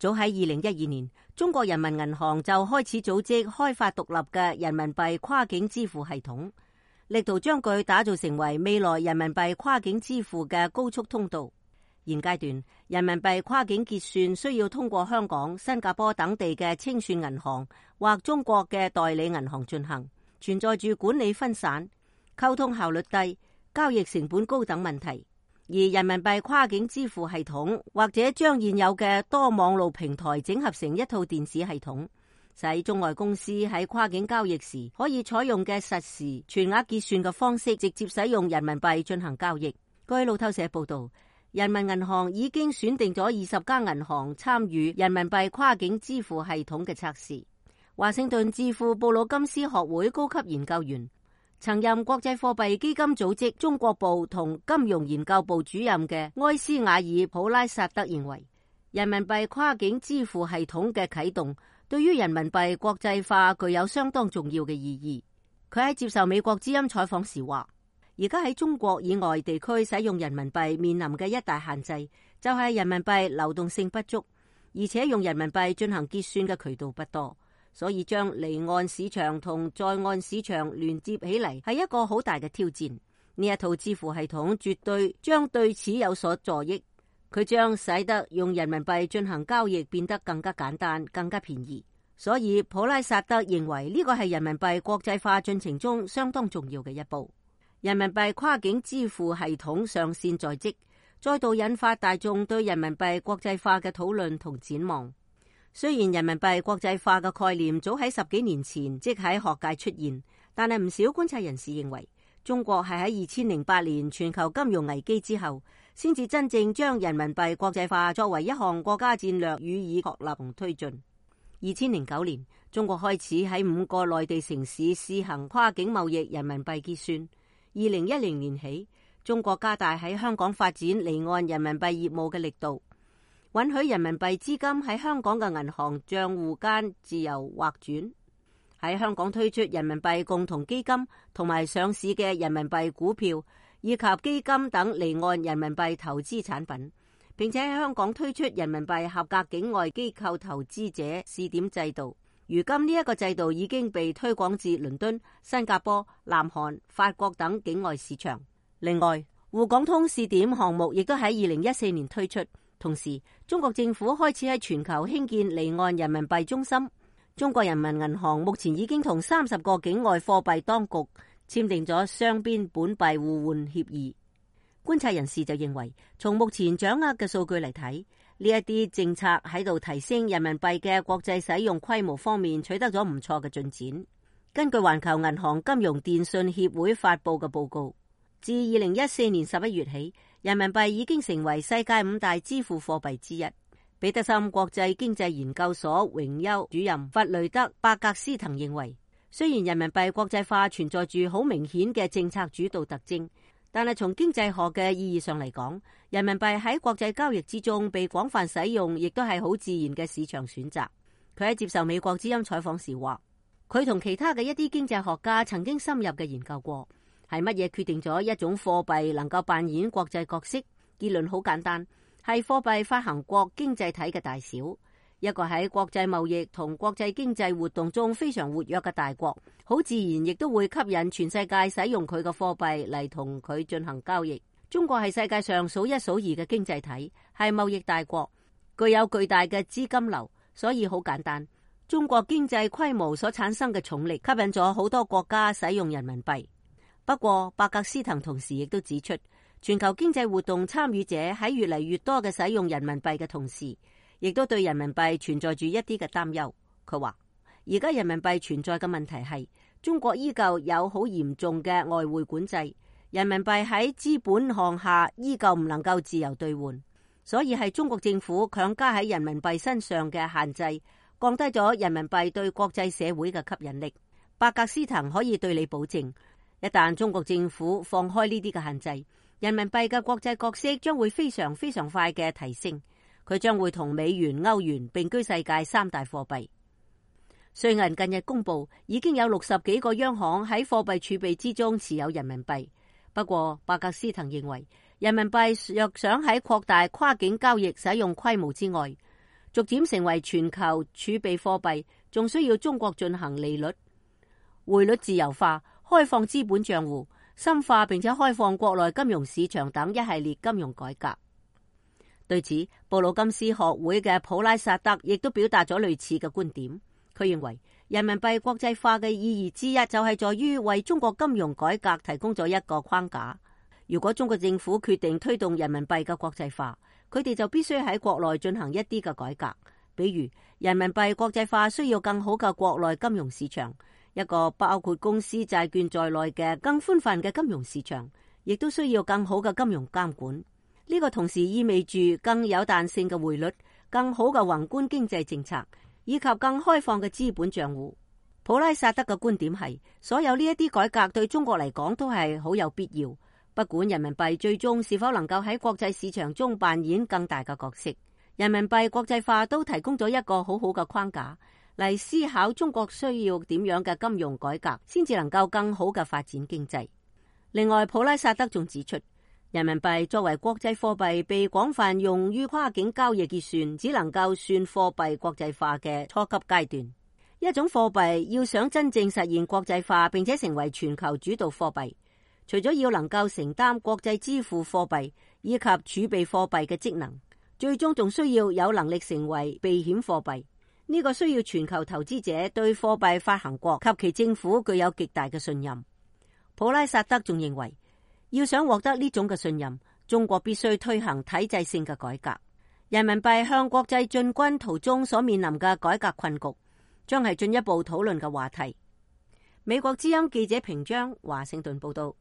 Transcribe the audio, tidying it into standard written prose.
早喺2012年，中國人民銀行就開始組織開發獨立嘅人民幣跨境支付系統，力圖將佢打造成為未來人民幣跨境支付嘅高速通道。現階段，人民幣跨境結算需要通過香港、新加坡等地嘅清算銀行或中國嘅代理銀行進行，存在住管理分散、溝通效率低、交易成本高等問題。而人民幣跨境支付系統或者將現有嘅多網路平台整合成一套電子系統，使中外公司喺跨境交易時可以採用嘅實時全額結算嘅方式，直接使用人民幣進行交易。據路透社報道，人民銀行已經選定咗20家銀行參與人民幣跨境支付系統嘅測試。華盛頓智庫布魯金斯學會高級研究員，曾任國際貨幣基金組織中國部同金融研究部主任嘅埃斯瓦爾普拉薩德認為，人民幣跨境支付系統嘅啟動對於人民幣國際化具有相當重要嘅意義。佢喺接受美國之音採訪時話，而家喺中國以外地區使用人民幣面臨嘅一大限制，就係人民幣流動性不足，而且用人民幣進行結算嘅渠道不多，所以將離岸市場同在岸市場連接起嚟係一個好大嘅挑戰。呢一套支付系統絕對將對此有所助益，佢將使得用人民幣進行交易變得更加簡單、更加便宜。所以普拉薩德認為呢個係人民幣國際化進程中相當重要嘅一步。人民幣跨境支付系統上線在即，再度引發大眾對人民幣國際化嘅討論同展望。雖然人民幣國際化嘅概念早喺10幾年前即喺學界出現，但係唔少觀察人士認為，中國係喺2008年全球金融危機之後，先至真正將人民幣國際化作為一項國家戰略予以確立同推進。2009年，中國開始喺5個內地城市試行跨境貿易人民幣結算。2010年起，中國加大喺香港發展離岸人民幣業務嘅力度，允許人民幣資金喺香港嘅銀行賬戶間自由劃轉，喺香港推出人民幣共同基金同埋上市嘅人民幣股票以及基金等離岸人民幣投資產品，並且喺香港推出人民幣合格境外機構投資者試點制度。如今呢一個制度已經被推廣至倫敦、新加坡、南韓、法國等境外市場。另外，滬港通試點項目亦都喺2014年推出。同時，中國政府開始喺全球興建離岸人民幣中心。中國人民銀行目前已經同30個境外貨幣當局簽訂咗雙邊本幣互換協議。觀察人士就認為，從目前掌握嘅數據嚟睇，呢一啲政策喺度提升人民幣嘅國際使用規模方面取得咗唔錯嘅進展。根據環球銀行金融電訊協會發佈嘅報告，自2014年11月起，人民幣已經成為世界5大支付貨幣之一。彼得森國際經濟研究所榮休主任弗雷德伯格斯滕認為，雖然人民幣國際化存在住好明顯嘅政策主導特徵，但係從經濟學嘅意義上嚟講，人民幣喺國際交易之中被廣泛使用，亦都係好自然嘅市場選擇。佢喺接受美國之音採訪時話，佢同其他嘅一啲經濟學家曾經深入嘅研究過，係乜嘢決定咗一種貨幣能夠扮演國際角色？結論好簡單，係貨幣發行國經濟體嘅大小。一個喺國際貿易同國際經濟活動中非常活躍嘅大國，好自然亦都會吸引全世界使用佢嘅貨幣嚟同佢進行交易。中國係世界上數一數二嘅經濟體，係貿易大國，具有巨大嘅資金流，所以好簡單。中國經濟規模所產生嘅重力吸引咗好多國家使用人民幣。不過，伯格斯滕同時亦都指出，全球經濟活動參與者喺越嚟越多嘅使用人民幣嘅同時，亦都對人民幣存在住一啲嘅擔憂。佢話，而家人民幣存在嘅問題係，中國依舊有好嚴重嘅外匯管制，人民幣喺資本項下依舊唔能夠自由兌換，所以係中國政府強加喺人民幣身上嘅限制，降低咗人民幣對國際社會嘅吸引力。伯格斯滕可以對你保證，一旦中國政府放開呢啲嘅限制，人民幣嘅國際角色將會非常非常快嘅提升。佢將會同美元、歐元並居世界3大貨幣。瑞銀近日公布，已經有60幾個央行喺貨幣儲備之中持有人民幣。不過，伯格斯滕認為，人民幣若想喺擴大跨境交易使用規模之外，逐漸成為全球儲備貨幣，仲需要中國進行利率、匯率自由化、開放資本賬戶、深化並且開放國內金融市場等一系列金融改革。對此，布魯金斯學會嘅普拉薩德亦都表達咗類似嘅觀點。佢認為人民幣國際化嘅意義之一就係在於為中國金融改革提供咗一個框架。如果中國政府決定推動人民幣嘅國際化，佢哋就必須喺國內進行一啲嘅改革。比如人民幣國際化需要更好嘅國內金融市場，一個包括公司債券在內嘅更寬泛嘅金融市場，亦都需要更好嘅金融監管。呢個同時意味住更有彈性嘅匯率、更好嘅宏觀經濟政策，以及更開放嘅資本賬戶。普拉薩德嘅觀點係，所有呢一啲改革對中國嚟講都係好有必要，不管人民幣最終是否能夠喺國際市場中扮演更大嘅角色。人民幣國際化都提供咗一個好好嘅框架嚟思考中國需要點樣嘅金融改革，先至能夠更好嘅發展經濟。另外，普拉薩德仲指出，人民幣作為國際貨幣被廣泛用於跨境交易結算，只能夠算貨幣國際化嘅初級階段。一種貨幣要想真正實現國際化並且成為全球主導貨幣，除咗要能夠承擔國際支付貨幣以及儲備貨幣嘅職能，最終仲需要有能力成為避險貨幣。呢個需要全球投資者對貨幣發行國及其政府具有極大嘅信任。普拉薩德仲認為，要想獲得呢種嘅信任，中國必須推行體制性嘅改革。人民幣向國際進軍途中所面臨嘅改革困局，將係進一步討論嘅話題。美國之音記者平章華盛頓報道。